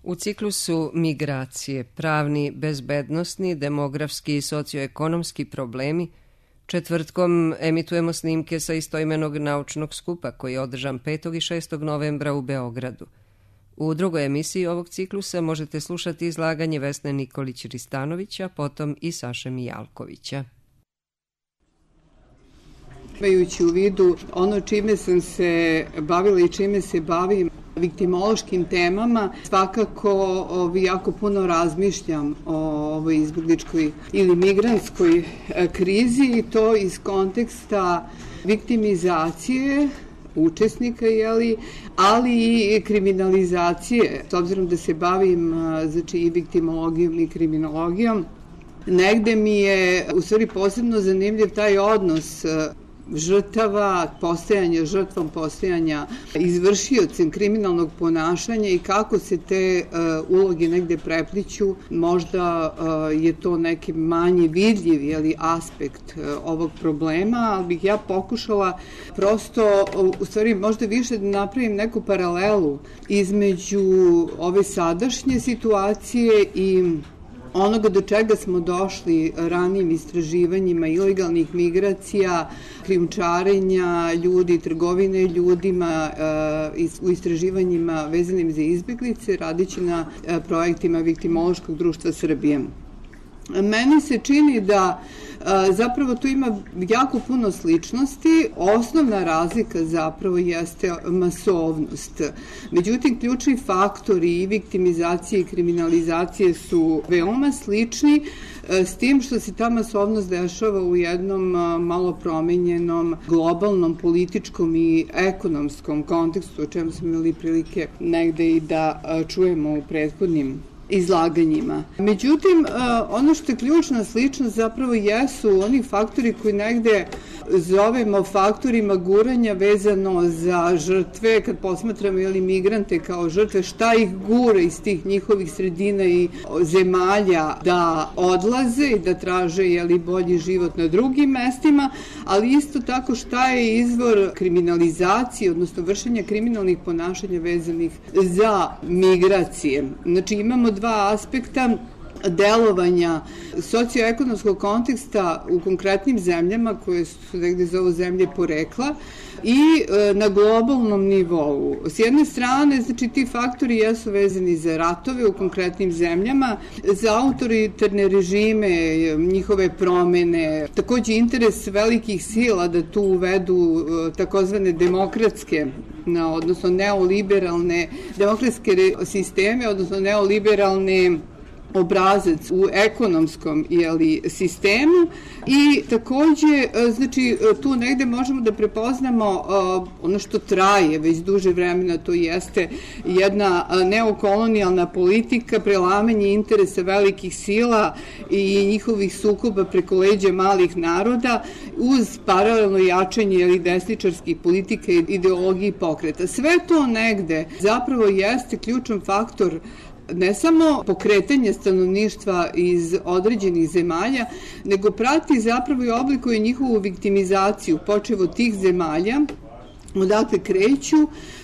U ciklusu migracije, pravni, bezbednosni, demografski i socioekonomski problemi, četvrtkom emitujemo snimke sa istoimenog naučnog skupa koji je održan 5. i 6. novembra u Beogradu. U drugoj emisiji ovog ciklusa možete slušati izlaganje Vesne Nikolić-Ristanovića, potom i Saše Mijalkovića. Imajući u vidu ono čime sam se bavila i čime se bavim, viktimološkim temama, svakako jako puno razmišljam o ovoj izbegličkoj ili migrantskoj krizi i to iz konteksta viktimizacije učesnika, ali i kriminalizacije. S obzirom da se bavim i viktimologijom i kriminologijom, negde mi je u stvari posebno zanimljiv taj odnos žrtava, postajanja žrtvom, postajanja izvršiocem kriminalnog ponašanja i kako se te uloge negde prepliću. Možda je to neki manje vidljiv aspekt ovog problema, ali bih ja pokušala prosto, u stvari možda više da napravim neku paralelu između ove sadašnje situacije i onoga do čega smo došli ranijim istraživanjima ilegalnih migracija, krijumčarenja ljudi, trgovine ljudima, u istraživanjima vezanim za izbeglice, radići na projektima Viktimološkog društva Srbije. Meni se čini da zapravo tu ima jako puno sličnosti. Osnovna razlika zapravo jeste masovnost. Međutim, ključni faktori i viktimizacije i kriminalizacije su veoma slični, s tim što se ta masovnost dešava u jednom malo promenjenom globalnom, političkom i ekonomskom kontekstu, o čemu smo imali prilike negde i da čujemo u prethodnim izlaganjima. Međutim, ono što je ključna sličnost zapravo jesu oni faktori koji negde zovemo faktorima guranja vezano za žrtve, kad posmatramo migrante kao žrtve, šta ih gure iz tih njihovih sredina i zemalja da odlaze i da traže bolji život na drugim mestima, ali isto tako šta je izvor kriminalizacije, odnosno vršenja kriminalnih ponašanja vezanih za migracije. Znači imamo dva aspekta delovanja socioekonomskog konteksta u konkretnim zemljama koje su negde zovu zemlje porekla i na globalnom nivou. S jedne strane, ti faktori jesu vezani za ratove u konkretnim zemljama, za autoritarne režime, njihove promene, takođe interes velikih sila da tu uvedu takozvane demokratske, odnosno neoliberalne demokratske sisteme, odnosno neoliberalne obrazac u ekonomskom sistemu i takođe, tu negde možemo da prepoznamo ono što traje već duže vremena, to jeste jedna neokolonijalna politika, prelamanje interesa velikih sila i njihovih sukoba preko leđa malih naroda uz paralelno jačanje desničarskih politika i ideologije i pokreta. Sve to negde zapravo jeste ključan faktor ne samo pokretanje stanovništva iz određenih zemalja, nego prati zapravo i oblikuje njihovu viktimizaciju, počev od tih zemalja odakle kreću,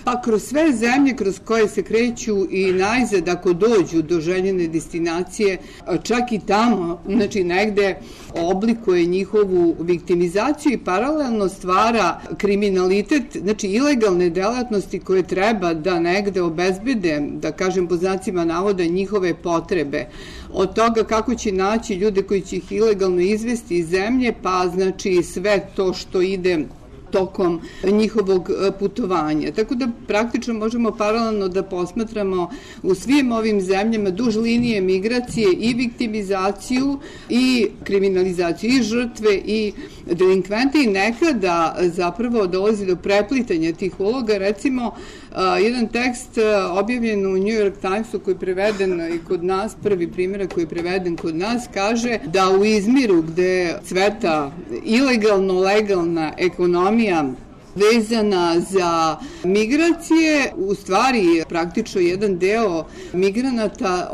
pa kroz sve zemlje kroz koje se kreću i najzad ako dođu do željene destinacije, čak i tamo, negde oblikuje njihovu viktimizaciju i paralelno stvara kriminalitet, ilegalne delatnosti koje treba da negde obezbede, da kažem po znacima navoda, njihove potrebe. Od toga kako će naći ljude koji će ih ilegalno izvesti iz zemlje, pa sve to što ide tokom njihovog putovanja. Tako da praktično možemo paralelno da posmatramo u svim ovim zemljama duž linije migracije i viktimizaciju i kriminalizaciju i žrtve i delinkvente i nekada zapravo dolazi do preplitanja tih uloga. Recimo, jedan tekst objavljen u New York Timesu koji je preveden i kod nas, prvi primjerak koji je preveden kod nas, kaže da u Izmiru gde cveta ilegalno-legalna ekonomija vezana za migracije. U stvari, praktično jedan deo migranata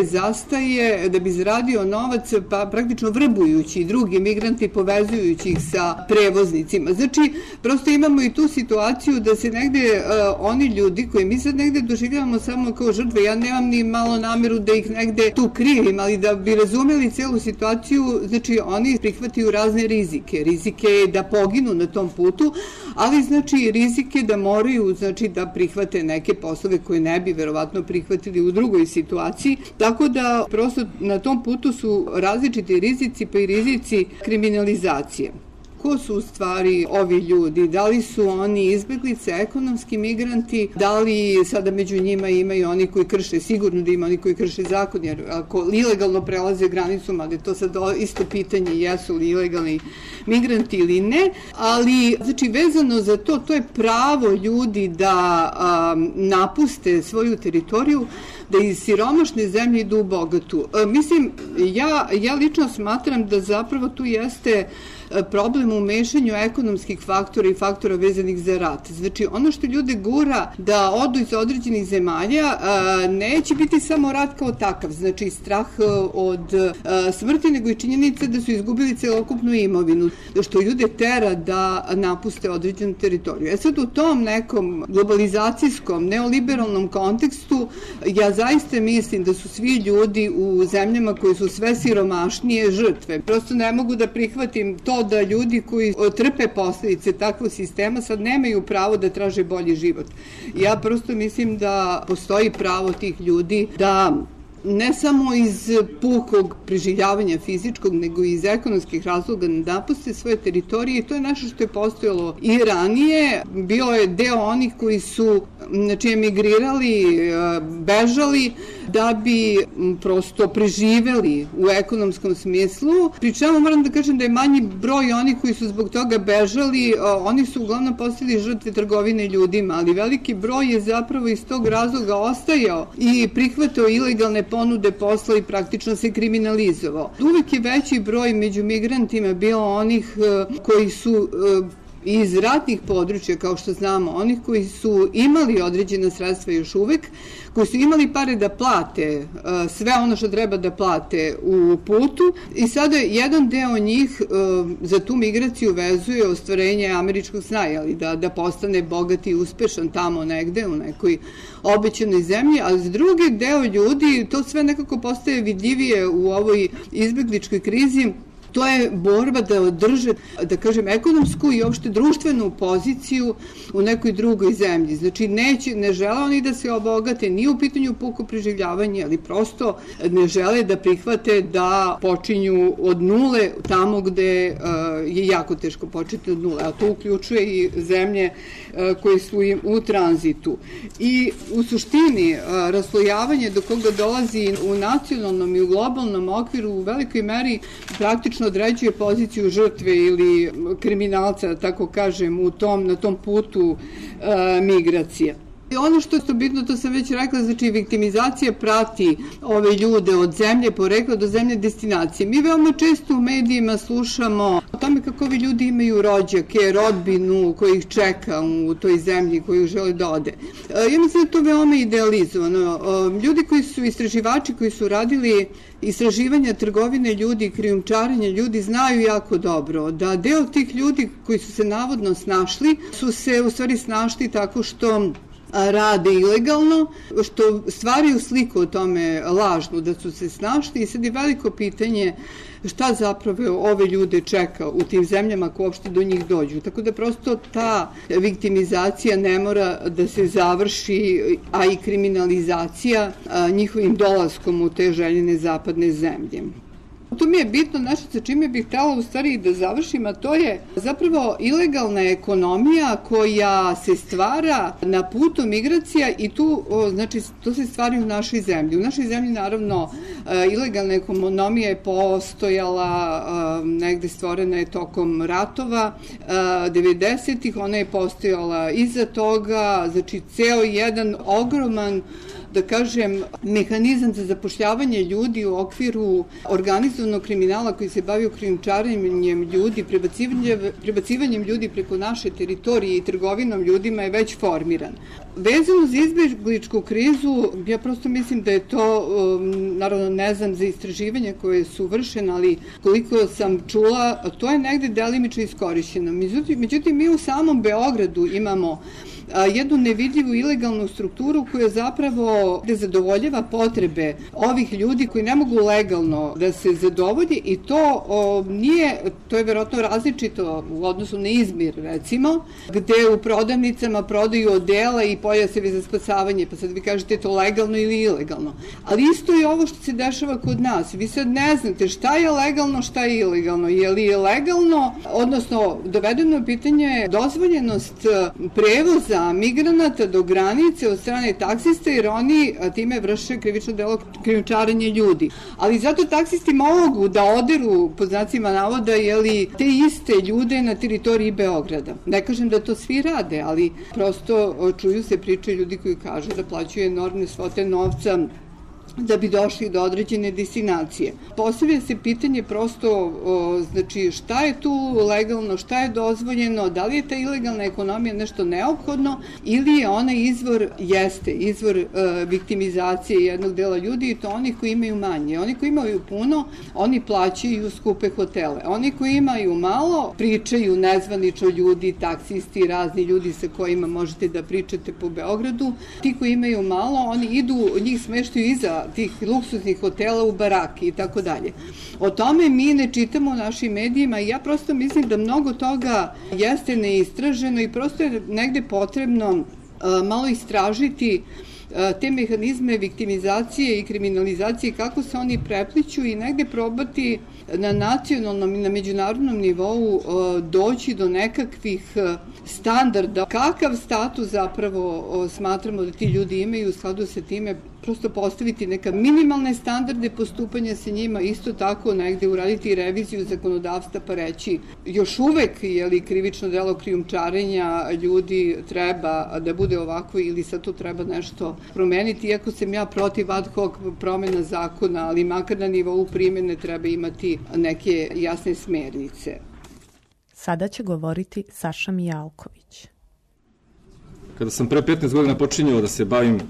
zastaje da bi zaradio novac, pa praktično vrbujući drugi migranti, povezujući ih sa prevoznicima. Znači, prosto imamo i tu situaciju da se negde oni ljudi koji mi sad negde doživljavamo samo kao žrtve, ja nemam ni malo nameru da ih negde tu krivim, ali da bi razumeli celu situaciju, znači oni prihvataju razne rizike da poginu na tom putu, ali znači rizike da moraju da prihvate neke poslove koje ne bi verovatno prihvatili u drugoj situaciji, tako da prosto na tom putu su različiti rizici, pa i rizici kriminalizacije. Ko su u stvari ovi ljudi? Da li su oni izbeglice, ekonomski migranti? Da li sada među njima imaju oni koji krše, sigurno da ima oni koji krše zakon, jer ako ilegalno prelaze granicu, mada je to sad isto pitanje jesu li ilegalni migranti ili ne, ali znači vezano za to je pravo ljudi da napuste svoju teritoriju, da iz siromašne zemlje idu u bogatu. Mislim, ja lično smatram da zapravo tu jeste problem u mešanju ekonomskih faktora i faktora vezanih za rat. Znači, ono što ljude gura da odu iz određenih zemalja neće biti samo rat kao takav, znači strah od smrti, nego i činjenica da su izgubili celokupnu imovinu, što ljude tera da napuste određenu teritoriju. Sad u tom nekom globalizacijskom, neoliberalnom kontekstu ja zaista mislim da su svi ljudi u zemljama koji su sve siromašnije žrtve. Prosto ne mogu da prihvatim to da ljudi koji trpe posledice takvog sistema sad nemaju pravo da traže bolji život. Ja prosto mislim da postoji pravo tih ljudi da ne samo iz pukog preživljavanja fizičkog, nego i iz ekonomskih razloga napuste svoje teritorije i to je nešto što je postojalo i ranije. Bilo je deo onih koji su emigrirali, bežali da bi prosto preživeli u ekonomskom smislu. Pri čemu moram da kažem da je manji broj onih koji su zbog toga bežali, oni su uglavnom postali žrtve trgovine ljudima, ali veliki broj je zapravo iz tog razloga ostajao i prihvatao ilegalne ponude posla i praktično se kriminalizovao. Uvek je veći broj među migrantima bilo onih koji su iz ratnih područja, kao što znamo, onih koji su imali određena sredstva još uvek, koji su imali pare da plate sve ono što treba da plate u putu i sada jedan deo njih za tu migraciju vezuje ostvarenje američkog sna, da postane bogat i uspešan tamo negde u nekoj obećanoj zemlji, a za drugi deo ljudi to sve nekako postaje vidljivije u ovoj izbegličkoj krizi. To je borba da održe, da kažem, ekonomsku i uopšte društvenu poziciju u nekoj drugoj zemlji. Znači, ne žele oni da se obogate, nije u pitanju puko preživljavanje, ali prosto ne žele da prihvate da počinju od nule tamo gde je jako teško početi od nule, a to uključuje i zemlje koje su im u tranzitu. I u suštini, raslojavanje do koga dolazi u nacionalnom i u globalnom okviru u velikoj meri praktično određuje poziciju žrtve ili kriminalca, da tako kažem, na tom putu migracije. Ono što je bitno, to sam već rekla, znači viktimizacija prati ove ljude od zemlje porekla do zemlje destinacije. Mi veoma često u medijima slušamo o tome kako ovi ljudi imaju rođake, rodbinu koji ih čeka u toj zemlji koju žele da ode. Ja mislim da je to veoma idealizovano. Ljudi koji su istraživači, koji su radili istraživanja trgovine ljudi, krijumčarenja ljudi, znaju jako dobro da deo tih ljudi koji su se navodno snašli, su se u stvari snašli tako što rade ilegalno, što stvaraju sliku o tome lažnu da su se snašli i sad je veliko pitanje šta zapravo ove ljude čeka u tim zemljama ako uopšte do njih dođu. Tako da prosto ta viktimizacija ne mora da se završi, a i kriminalizacija njihovim dolaskom u te željene zapadne zemlje. To mi je bitno, nešto sa čime bih htjela u stvari da završim, a to je zapravo ilegalna ekonomija koja se stvara na putu migracija i to se stvari u našoj zemlji. U našoj zemlji naravno ilegalna ekonomija je postojala, negde stvorena je tokom ratova 90-ih, ona je postojala iza toga, znači ceo jedan ogroman da kažem, mehanizam za zapošljavanje ljudi u okviru organizovanog kriminala koji se bavi krijumčarenjem ljudi, prebacivanjem ljudi preko naše teritorije i trgovinom ljudima je već formiran. Vezano za izbegličku krizu, ja prosto mislim da je to, naravno ne znam za istraživanja koje su vršene, ali koliko sam čula, to je negde delimično iskorišćeno. Međutim, mi u samom Beogradu imamo jednu nevidljivu ilegalnu strukturu koja zapravo zadovoljava potrebe ovih ljudi koji ne mogu legalno da se zadovolji i to je verovatno različito u odnosu na Izmir, recimo, gde u prodavnicama prodaju odela i pojasevi za spasavanje, pa sad vi kažete to legalno ili ilegalno. Ali isto je ovo što se dešava kod nas. Vi sad ne znate šta je legalno, šta je ilegalno. Je li legalno, odnosno dovedeno je pitanje dozvoljenost prevoza migranata do granice od strane taksista, jer oni time vrše krivično delo krijumčarenja ljudi. Ali zato taksisti mogu da oderu, po znacima navoda, te iste ljude na teritoriji Beograda. Ne kažem da to svi rade, ali prosto čuju se priče ljudi koji kažu da plaćaju enormne svote novca da bi došli do određene destinacije. Postavlja se pitanje prosto, znači šta je tu legalno, šta je dozvoljeno, da li je ta ilegalna ekonomija nešto neophodno ili je ona izvor viktimizacije jednog dela ljudi i to oni koji imaju manje. Oni koji imaju puno, oni plaćaju skupe hotele. Oni koji imaju malo, pričaju nezvanično ljudi, taksisti, razni ljudi sa kojima možete da pričate po Beogradu. Ti koji imaju malo, oni idu, njih smeštaju iza tih luksuznih hotela u baraki i tako dalje. O tome mi ne čitamo u našim medijima i ja prosto mislim da mnogo toga jeste neistraženo i prosto je negde potrebno malo istražiti te mehanizme viktimizacije i kriminalizacije, kako se oni prepliću i negde probati na nacionalnom i na međunarodnom nivou doći do nekakvih standarda. Kakav status zapravo smatramo da ti ljudi imaju, u skladu sa time prosto postaviti neka minimalne standarde postupanja sa njima, isto tako negde uraditi reviziju zakonodavstva pa reći još uvek je li krivično delo krijumčarenja ljudi treba da bude ovako ili sad to treba nešto promeniti, iako sam ja protiv ad hoc promena zakona, ali makar na nivou primjene treba imati neke jasne smernice. Sada će govoriti Saša Mijalković. Kada sam pre 15 godina počinjao da se bavim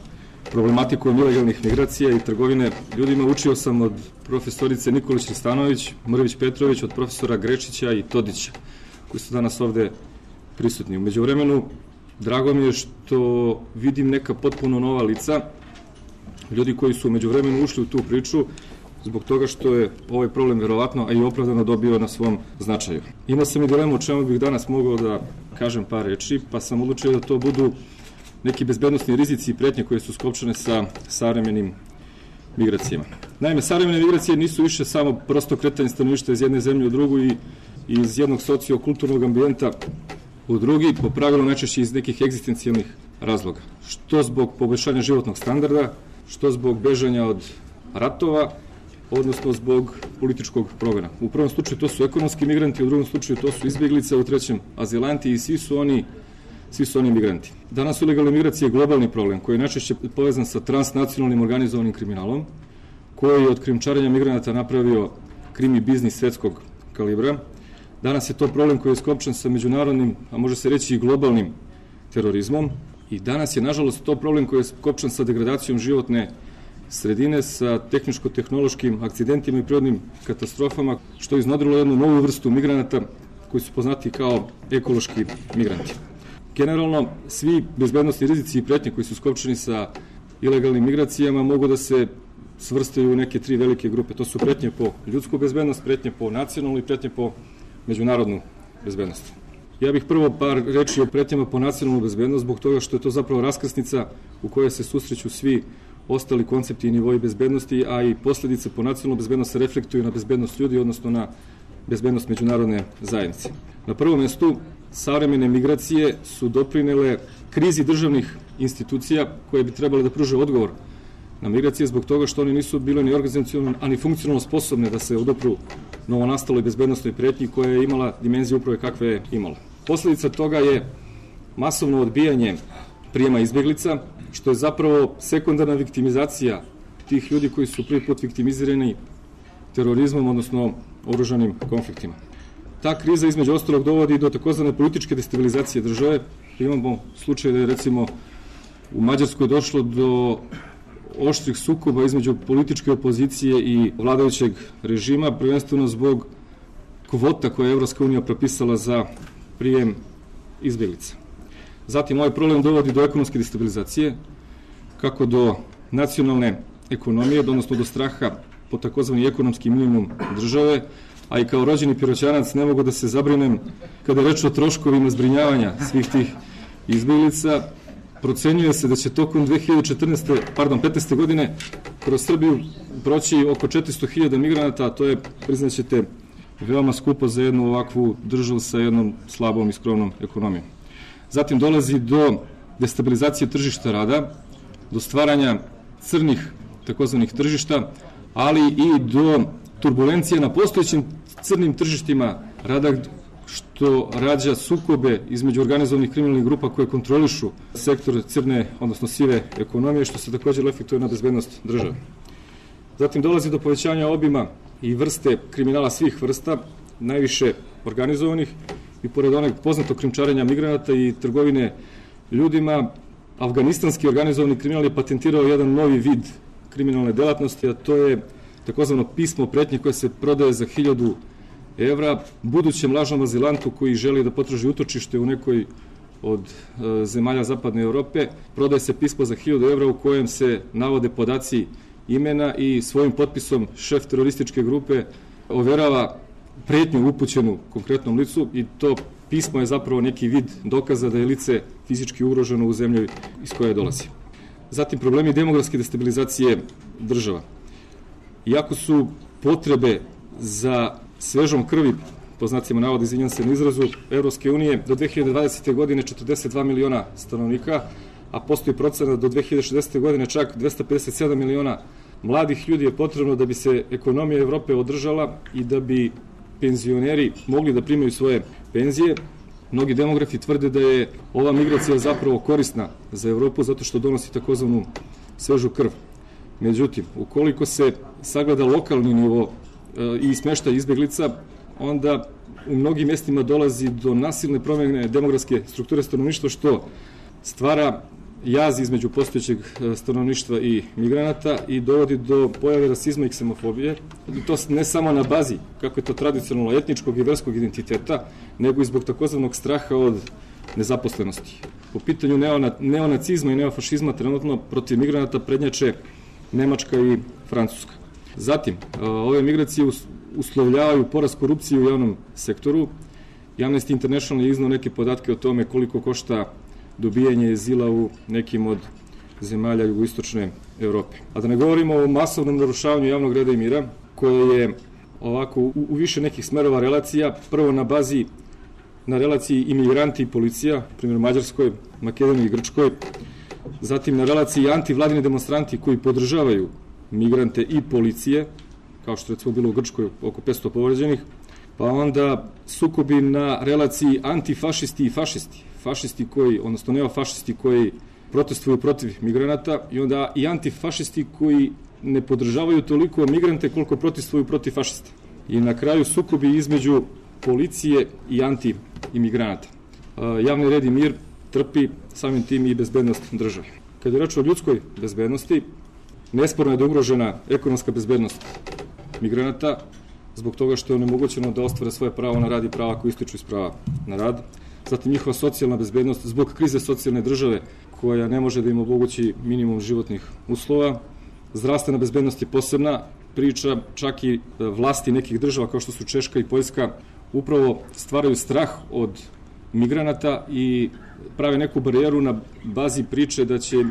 problematikom ilegalnih migracija i trgovine ljudima, učio sam od profesorice Nikolić Stanović, Mrvić Petrović, od profesora Grečića i Todića, koji su danas ovde prisutni. U međuvremenu, drago mi je što vidim neka potpuno nova lica, ljudi koji su u međuvremenu ušli u tu priču, zbog toga što je ovaj problem verovatno, a i opravdano dobio na svom značaju. Imao sam i dilemu o čemu bih danas mogao da kažem par reči, pa sam odlučio da to budu neki bezbednosni rizici i pretnje koje su skopčane sa savremenim migracijama. Naime, savremene migracije nisu više samo prosto kretanje stanovništva iz jedne zemlje u drugu i iz jednog sociokulturnog ambijenta u drugi, po pravilu najčešće iz nekih egzistencijalnih razloga. Što zbog poboljšanja životnog standarda, što zbog bežanja od ratova, odnosno zbog političkog progona. U prvom slučaju to su ekonomski migranti, u drugom slučaju to su izbjeglice, u trećem azilanti i svi su oni migranti. Danas su ilegalne migracije globalni problem koji je najčešće povezan sa transnacionalnim organizovanim kriminalom, koji je od krijumčarenja migranata napravio krimi biznis svetskog kalibra. Danas je to problem koji je skopčan sa međunarodnim, a može se reći i globalnim terorizmom i danas je nažalost to problem koji je skopčan sa degradacijom životne sredine, sa tehničko-tehnološkim akcidentima i prirodnim katastrofama, što je iznodrilo jednu novu vrstu migranata koji su poznati kao ekološki migranti. Generalno, svi bezbednosni rizici i pretnje koji su skopčani sa ilegalnim migracijama mogu da se svrstaju u neke tri velike grupe. To su pretnje po ljudsku bezbednost, pretnje po nacionalnu i pretnje po međunarodnu bezbednost. Ja bih prvo par reči o pretnjama po nacionalnu bezbednost, zbog toga što je to zapravo raskrsnica u kojoj se susreću svi ostali koncepti i nivoji bezbednosti, a i posledice po nacionalnu bezbednost se reflektuju na bezbednost ljudi, odnosno na bezbednost međunarodne zajednice. Na prvom mestu, savremene migracije su doprinele krizi državnih institucija koje bi trebale da pruže odgovor na migracije zbog toga što oni nisu bile ni organizacionalno, ani funkcionalno sposobne da se odopru novonastaloj bezbednostnoj pretnji koja je imala dimenziju upravo kakve je imala. Posledica toga je masovno odbijanje prijema izbjeglica, što je zapravo sekundarna viktimizacija tih ljudi koji su prvi put viktimizirani terorizmom, odnosno oružanim konfliktima. Ta kriza između ostalog dovodi do takozvane političke destabilizacije države. Imamo slučaj da je recimo u Mađarskoj došlo do oštrih sukoba između političke opozicije i vladajućeg režima, prvenstveno zbog kvota koje je Evropska unija propisala za prijem izbjeglica. Zatim ovaj problem dovodi do ekonomske destabilizacije, kako do nacionalne ekonomije, odnosno do straha po takozvani ekonomski minimum države, a i kao rođeni Piroćanac ne mogu da se zabrinem kada je reč o troškovima zbrinjavanja svih tih izbjeglica. Procenjuje se da će tokom 2015. godine kroz Srbiju proći oko 400.000 migranata, a to je, priznaćete, veoma skupo za jednu ovakvu državu sa jednom slabom i skromnom ekonomijom. Zatim dolazi do destabilizacije tržišta rada, do stvaranja crnih takozvanih tržišta, ali i do turbulencije na postojećim crnim tržištima rada, što rađa sukobe između organizovanih kriminalnih grupa koje kontrolišu sektor crne, odnosno sive ekonomije, što se također efektuje na bezbednost države. Zatim dolazi do povećanja obima i vrste kriminala svih vrsta, najviše organizovanih, i pored onog poznatog krijumčarenja migranata i trgovine ljudima, afganistanski organizovani kriminal je patentirao jedan novi vid kriminalne delatnosti, a to je takozvano pismo pretnje koje se prodaje za 1.000 evra budućem lažnom azilantu koji želi da potraži utočište u nekoj od zemalja zapadne Evrope. Prodaje se pismo za 1.000 evra u kojem se navode podaci imena i svojim potpisom šef terorističke grupe overava pretnju upućenu konkretnom licu i to pismo je zapravo neki vid dokaza da je lice fizički ugroženo u zemlji iz koje dolazi. Zatim problemi demografske destabilizacije država. Iako su potrebe za svežom krvi, po znacima navoda, izvinjam se na izrazu, Evropske unije do 2020. godine 42 miliona stanovnika, a postoji procena do 2060. godine čak 257 miliona mladih ljudi je potrebno da bi se ekonomija Evrope održala i da bi penzioneri mogli da primaju svoje penzije. Mnogi demografi tvrde da je ova migracija zapravo korisna za Evropu zato što donosi takozvanu svežu krv. Međutim, ukoliko se sagleda lokalni nivo i smeštaj izbeglica, onda u mnogim mjestima dolazi do nasilne promjene demografske strukture stanovništva, što stvara jaz između postojećeg stanovništva i migranata i dovodi do pojave rasizma i ksemofobije. I to ne samo na bazi, kako je to tradicionalno, etničkog i verskog identiteta, nego i zbog takozvanog straha od nezaposlenosti. Po pitanju neonacizma i neofašizma trenutno protiv migranata prednjače Nemačka i Francuska. Zatim, ove migracije uslovljavaju porast korupcije u javnom sektoru. Amnesty International je iznao neke podatke o tome koliko košta dobijanje azila u nekim od zemalja jugoistočne Evrope. A da ne govorimo o masovnom narušavanju javnog reda i mira, koje je ovako u više nekih smerova relacija, prvo na relaciji imigranti i policija, primjer Mađarskoj, Makedoniji i Grčkoj, zatim na relaciji antivladini demonstranti koji podržavaju migrante i policije, kao što je recimo bilo u Grčkoj oko 500 povređenih, pa onda sukobi na relaciji antifašisti i fašisti koji, odnosno neofašisti koji protestuju protiv migranata i onda i antifašisti koji ne podržavaju toliko migrante koliko protestuju protiv fašista. I na kraju sukobi između policije i anti-imigranata. Javni red i mir trpi samim tim i bezbednost države. Kad je reč o ljudskoj bezbednosti, nesporno je da je ugrožena ekonomska bezbednost migranata zbog toga što je onemogućeno da ostvare svoje pravo na rad i prava koje ističu iz prava na rad. Zatim njihova socijalna bezbednost zbog krize socijalne države koja ne može da im omogući minimum životnih uslova. Zdravstvena bezbednost je posebna priča, čak i vlasti nekih država kao što su Češka i Poljska upravo stvaraju strah od migranata i prave neku barijeru na bazi priče da će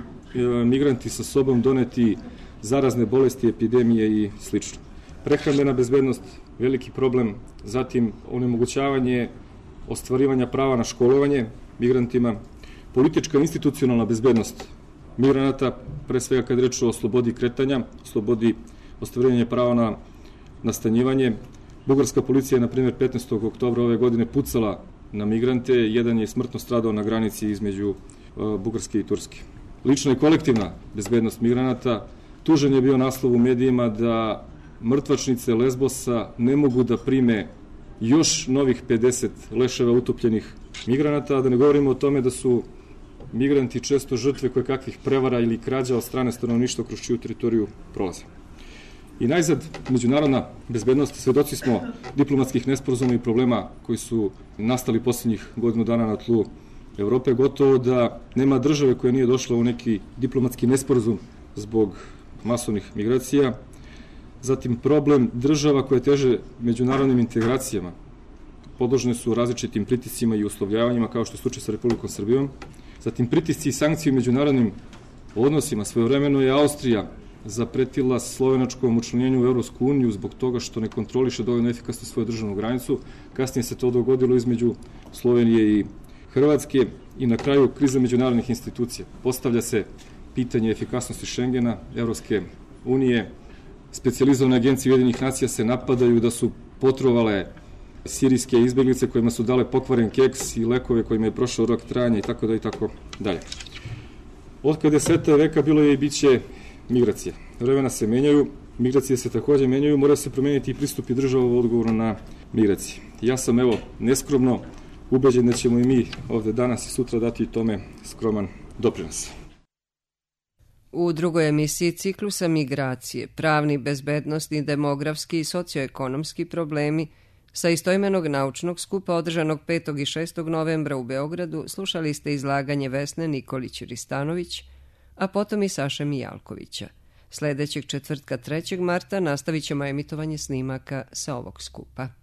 migranti sa sobom doneti zarazne bolesti, epidemije i sl. Prehrambena bezbednost, veliki problem, zatim onemogućavanje ostvarivanja prava na školovanje migrantima, politička institucionalna bezbednost migranata, pre svega kad reč o slobodi kretanja, slobodi ostvarivanja prava na nastanjivanje. Bugarska policija je, na primjer, 15. oktobra ove godine pucala na migrante, jedan je smrtno stradao na granici između Bugarske i Turske. lična i kolektivna bezbednost migranata, tužan je bio naslov u medijima da mrtvačnice Lesbosa ne mogu da prime još novih 50 leševa utopljenih migranata, a da ne govorimo o tome da su migranti često žrtve kakvih prevara ili krađa od strane stanovništva kroz čiju teritoriju prolaze. I najzad, međunarodna bezbednost, svedoci smo diplomatskih nesporazuma i problema koji su nastali posljednjih godinu dana na tlu Evrope. Gotovo da nema države koja nije došla u neki diplomatski nesporazum zbog masovnih migracija. Zatim problem država koje teže međunarodnim integracijama. Podložne su različitim pritiscima i uslovljavanjima kao što je slučaj sa Republikom Srbijom. Zatim pritisci i sankcije u međunarodnim odnosima. Svojevremeno je Austrija zapretila slovenačkom učlanjenju u Evropsku uniju zbog toga što ne kontroliše dovoljno efikasno svoju državnu granicu. Kasnije se to dogodilo između Slovenije i Hrvatske i na kraju kriza međunarodnih institucija. Postavlja se pitanje efikasnosti Šengena, Evropske unije. Specijalizovane agencije Ujedinjenih nacija se napadaju da su potrovale sirijske izbeglice kojima su dale pokvaren keks i lekove kojima je prošao rok trajanja i tako da i tako dalje. Od kada je sveta veka bilo je i biće migracije. Vremena se menjaju, migracije se takođe menjaju, mora se promeniti i pristupi država u odgovoru na migracije. Ja sam, neskromno ubeđen da ćemo i mi ovde danas i sutra dati tome skroman doprinos. U drugoj emisiji ciklusa Migracije, pravni, bezbednosni, demografski i socioekonomski problemi sa istoimenog naučnog skupa održanog 5. i 6. novembra u Beogradu slušali ste izlaganje Vesne Nikolić-Ristanović, a potom i Saše Mijalkovića. Sledećeg četvrtka 3. marta nastavit ćemo emitovanje snimaka sa ovog skupa.